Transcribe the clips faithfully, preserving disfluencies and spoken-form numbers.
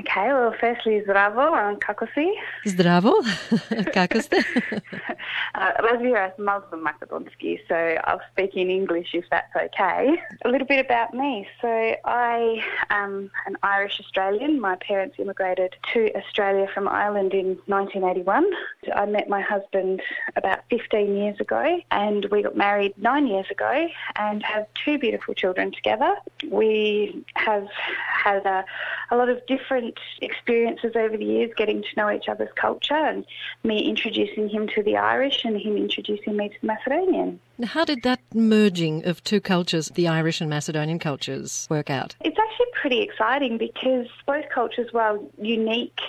Okay, well, firstly, zdravo, and kako si? Zdravo, kako ste? uh, Razvira is Muslim Makedonski, so I'll speak in English if that's okay. A little bit about me. So I am an Irish Australian. My parents immigrated to Australia from Ireland in nineteen eighty-one. I met my husband about fifteen years ago, and we got married nine years ago and have two beautiful children together. We have had a, a lot of different experiences over the years, getting to know each other's culture, and me introducing him to the Irish and him introducing me to the Macedonian. How did that merging of two cultures, the Irish and Macedonian cultures, work out? It's actually pretty exciting because both cultures, while unique,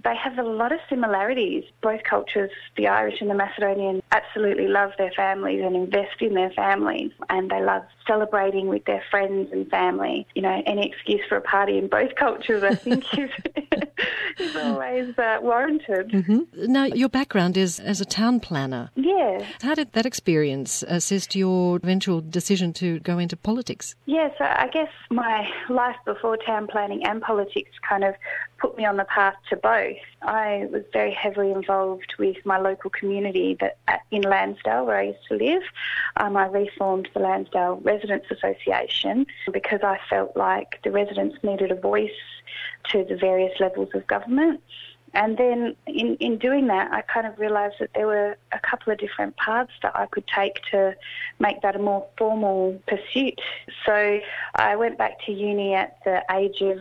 they have a lot of similarities. Both cultures, the Irish and the Macedonian, absolutely love their families and invest in their families, and they love celebrating with their friends and family. You know, any excuse for a party in both cultures, I think, is, is always uh, warranted. Mm-hmm. Now, your background is as a town planner. Yeah. How did that experience assist your eventual decision to go into politics? Yeah, so I guess my life before town planning and politics kind of put me on the path to both. I was very heavily involved with my local community that in Lansdale, where I used to live. Um, I reformed the Lansdale Residents Association because I felt like the residents needed a voice to the various levels of government. And then in, in doing that, I kind of realised that there were a couple of different paths that I could take to make that a more formal pursuit. So I went back to uni at the age of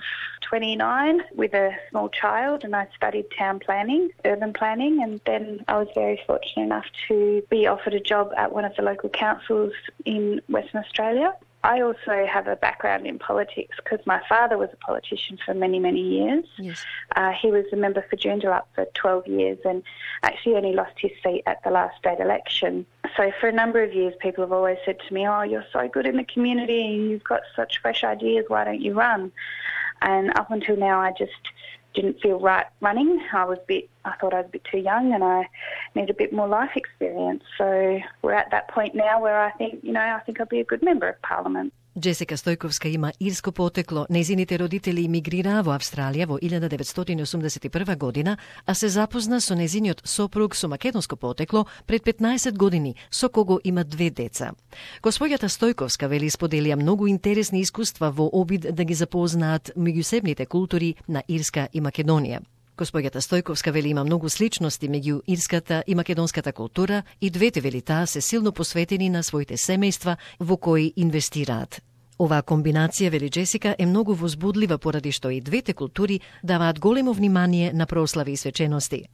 twenty-nine with a small child, and I studied town planning, urban planning, and then I was very fortunate enough to be offered a job at one of the local councils in Western Australia. I also have a background in politics because my father was a politician for many, many years. Yes. Uh, he was a member for Joondalup for twelve years and actually only lost his seat at the last state election. So for a number of years, people have always said to me, oh, you're so good in the community and you've got such fresh ideas, why don't you run? And up until now, I just didn't feel right running. I was a bit, I thought I was a bit too young and I need a bit more life experience. So we're at that point now where I think, you know, I think I'll be a good member of Parliament. Джесика Стојковска има ирско потекло. Нејзините родители имигрираа во Австралија во илјада деветстотини осумдесет и прва година, а се запозна со нејзиниот сопруг со македонско потекло пред петнаесет години, со кого има две деца. Госпоѓата Стојковска вели споделија многу интересни искуства во обид да ги запознаат меѓусебните култури на Ирска и Македонија. Госпоѓата Стојковска вели има многу сличности меѓу ирската и македонската култура и двете вели таа се силно посветени на своите семејства во кои инвестираат. Оваа комбинација, вели Джесика, е многу возбудлива поради што и двете култури даваат големо внимание на прослави и свечености.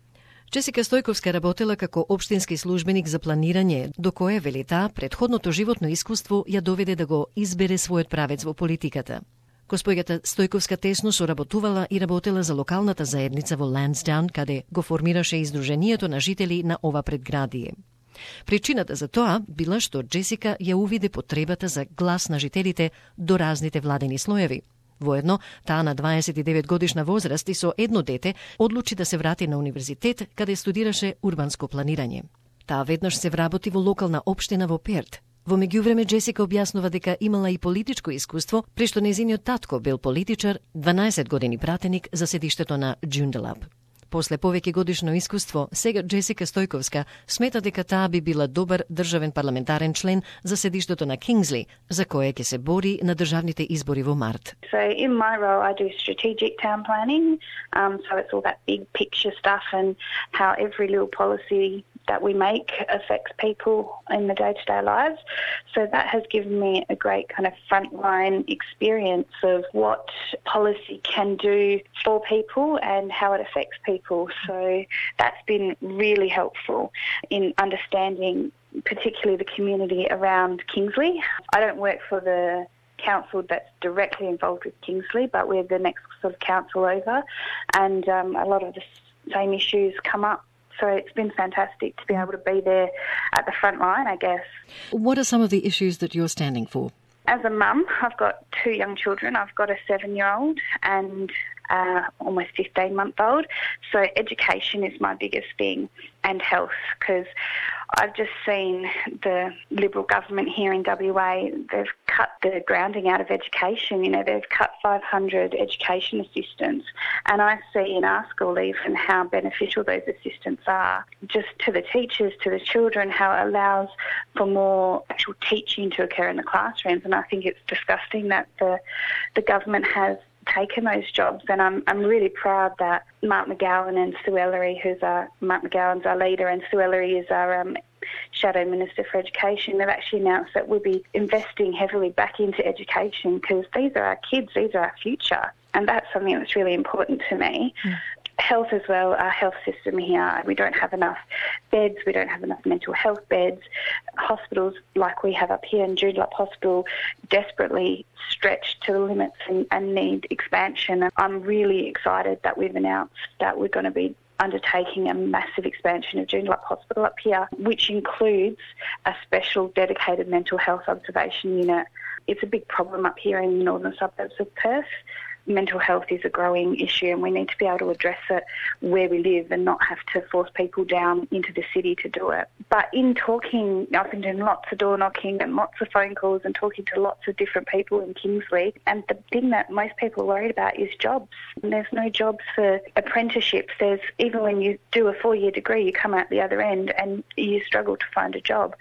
Джесика Стојковска работела како општински службеник за планирање, до кое, вели таа, предходното животно искуство ја доведе да го избере својот правец во политиката. Госпоѓата Стојковска тесно соработувала и работела за локалната заедница во Лансдаун, каде го формираше издруженијето на жители на ова предградие. Причината за тоа била што Джесика ја увиде потребата за глас на жителите до разните владени слоеви. Воедно, таа на дваесет и девет годишна возраст и со едно дете одлучи да се врати на универзитет, каде студираше урбанско планирање. Таа веднаш се вработи во локална општина во Перт. Во меѓувреме Джесика објаснува дека имала и политичко искуство, прешто нејзиниот татко бил политичар, дванаесет години пратеник за седиштето на Joondalup. После повеќе годишно искуство, сега Джесика Стојковска смета дека таа би била добар државен парламентарен член за седиштето на Кингсли, за кое ќе се бори на државните избори во март. So in my role I do strategic town planning, um, so it's all that big picture stuff and how every little policy that we make affects people in the day-to-day lives. So that has given me a great kind of frontline experience of what policy can do for people and how it affects people. So that's been really helpful in understanding particularly the community around Kingsley. I don't work for the council that's directly involved with Kingsley, but we're the next sort of council over, and um, a lot of the same issues come up. So it's been fantastic to be able to be there at the front line, I guess. What are some of the issues that you're standing for? As a mum, I've got two young children. I've got a seven-year-old and uh, almost fifteen-month-old. So education is my biggest thing, and health, because I've just seen the Liberal government here in W A, they've cut the grounding out of education. You know, they've cut five hundred education assistants, and I see in our school even how beneficial those assistants are, just to the teachers, to the children, how it allows for more actual teaching to occur in the classrooms. And I think it's disgusting that the the government has taken those jobs, and I'm I'm really proud that Mark McGowan and Sue Ellery, who's our Mark McGowan's our leader, and Sue Ellery is our um, Shadow Minister for Education. They've actually announced that we'll be investing heavily back into education, because these are our kids, these are our future, and that's something that's really important to me. Mm. Health as well, our health system here, we don't have enough beds, we don't have enough mental health beds. Hospitals like we have up here in Joondalup Hospital desperately stretched to the limits and, and need expansion. I'm really excited that we've announced that we're going to be undertaking a massive expansion of Joondalup Hospital up here, which includes a special dedicated mental health observation unit. It's a big problem up here in the northern suburbs of Perth. Mental health is a growing issue, and we need to be able to address it where we live and not have to force people down into the city to do it. But in talking, I've been doing lots of door knocking and lots of phone calls and talking to lots of different people in Kingsley, and the thing that most people are worried about is jobs. And there's no jobs for apprenticeships. There's, even when you do a four-year degree, you come out the other end and you struggle to find a job.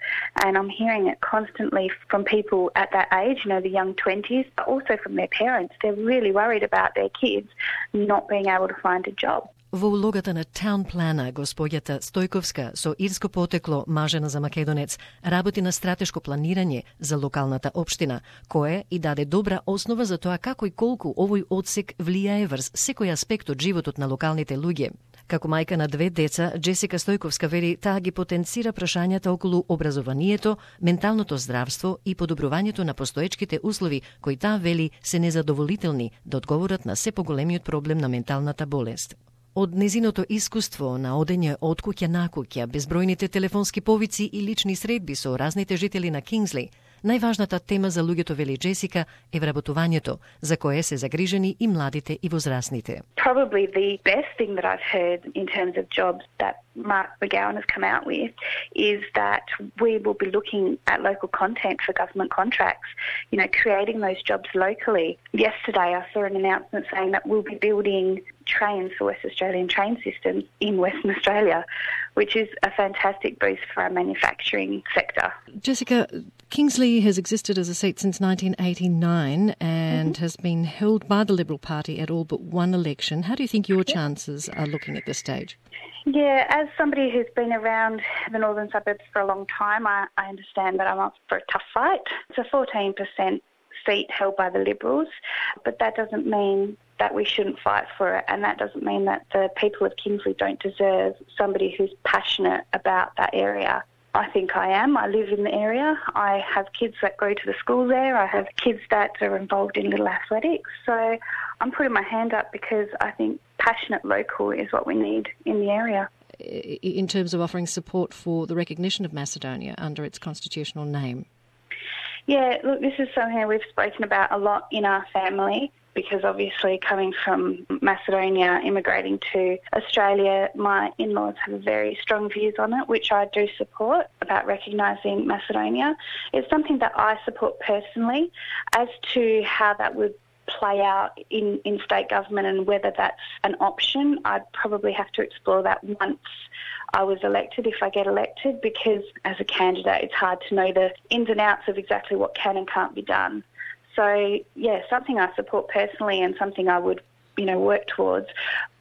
And I'm hearing it constantly from people at that age, you know, the young twenties, but also from their parents. They're really worried about their kids not being able to find a job. Во улогата на таун плана, господјата Стојковска, со ирско потекло, мажена за македонец, работи на стратешко планирање за локалната општина, кое и даде добра основа за тоа како и колку овој одсек влијае врз секој аспект од животот на локалните луѓе. Како мајка на две деца, Джесика Стојковска вели таа ги потенцира прашањата околу образованието, менталното здравство и подобрувањето на постоечките услови, кои таа вели се незадоволителни да одговорат на се поголемиот проблем на менталната болест. Од незиното искуство на одење од куќа на куќа, безбројните телефонски повици и лични средби со разните жители на Кингсли, најважната тема за луѓето, вели Джесика, е вработувањето, за кое се загрижени и младите и возрастните. Probably the best thing that I've heard in terms of jobs that Mark McGowan has come out with is that we will be looking at local content for government contracts, you know, creating those jobs locally. Yesterday I saw an announcement saying that we'll be building trains for West Australian train systems in Western Australia, which is a fantastic boost for our manufacturing sector. Jessica, Kingsley has existed as a seat since nineteen eighty-nine and mm-hmm. has been held by the Liberal Party at all but one election. How do you think your chances are looking at this stage? Yeah, as somebody who's been around the northern suburbs for a long time, I, I understand that I'm up for a tough fight. It's a fourteen percent seat held by the Liberals, but that doesn't mean that we shouldn't fight for it, and that doesn't mean that the people of Kingsley don't deserve somebody who's passionate about that area. I think I am. I live in the area. I have kids that go to the school there. I have kids that are involved in little athletics. So I'm putting my hand up because I think passionate local is what we need in the area. In terms of offering support for the recognition of Macedonia under its constitutional name? Yeah, look, this is something we've spoken about a lot in our family, because obviously coming from Macedonia, immigrating to Australia, my in-laws have very strong views on it, which I do support, about recognising Macedonia. It's something that I support personally. As to how that would play out in, in state government and whether that's an option, I'd probably have to explore that once I was elected, if I get elected, because as a candidate it's hard to know the ins and outs of exactly what can and can't be done. So, yeah, something I support personally and something I would, you know, work towards,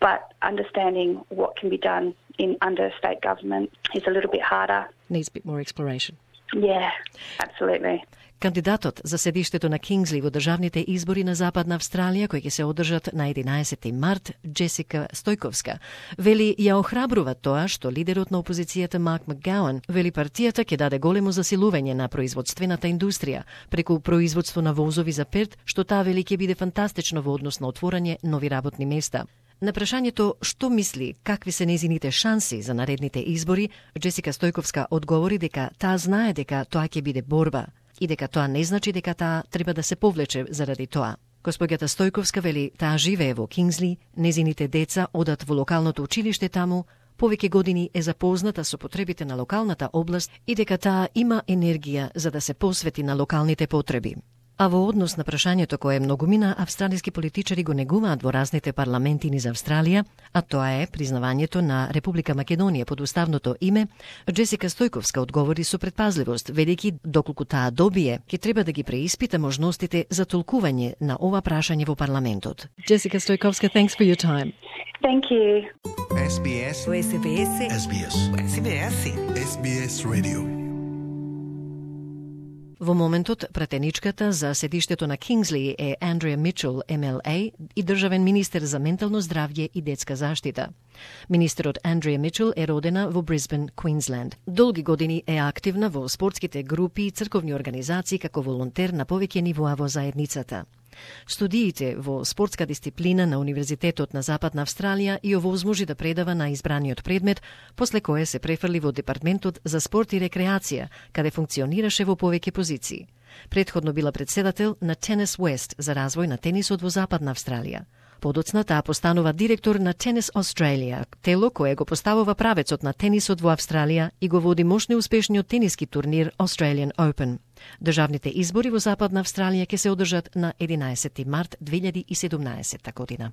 but understanding what can be done in under state government is a little bit harder. Needs a bit more exploration. Yeah, absolutely. Кандидатот за седиштето на Кингсли во државните избори на Западна Австралија, кои ќе се одржат на единаесети март, Джесика Стојковска, вели ја охрабрува тоа што лидерот на опозицијата Марк Макгауан вели партијата ќе даде големо засилување на производствената индустрија преку производство на возови за Перт, што таа вели ќе биде фантастично во однос на отворање нови работни места. На прашањето што мисли какви се незините шанси за наредните избори, Джесика Стојковска одговори дека таа знае дека тоа ќе биде борба и дека тоа не значи дека таа треба да се повлече заради тоа. Господјата Стојковска вели таа живее во Кингсли, незините деца одат во локалното училиште таму, повеќе години е запозната со потребите на локалната област и дека таа има енергија за да се посвети на локалните потреби. А во однос на прашањето кое многумина австралиски политичари го негуваат во разните парламенти низ Австралија, а тоа е признавањето на Република Македонија под уставното име, Джесика Стојковска одговори со предпазливост, велики доколку таа добие, ќе треба да ги преиспита можностите за толкување на ова прашање во парламентот. Джесика Стојковска, thanks for your time. Thank you. S B S. S B S. S B S. S B S. S B S Radio. Во моментот, пратеничката за седиштето на Кингсли е Андреа Мичел, М Л А, и државен министер за ментално здравје и детска заштита. Министерот Андреа Мичел е родена во Брисбен, Квинсленд. Долги години е активна во спортските групи и црковни организации како волонтер на повеќе нивоа во заедницата. Студиите во спортска дисциплина на Универзитетот на Западна Австралија и овозможи да предава на избраниот предмет, после кое се префрли во Департментот за спорт и рекреација, каде функционираше во повеќе позиции. Предходно била председател на Tennis West за развој на тенисот во Западна Австралија. Подоцна таа постанува директор на Tennis Australia, тело кое го поставува правецот на тенисот во Австралија и го води мощно успешниот тениски турнир Australian Open. Државните избори во Западна Австралија ќе се одржат на единаесети март две илјади и седумнаесетта година.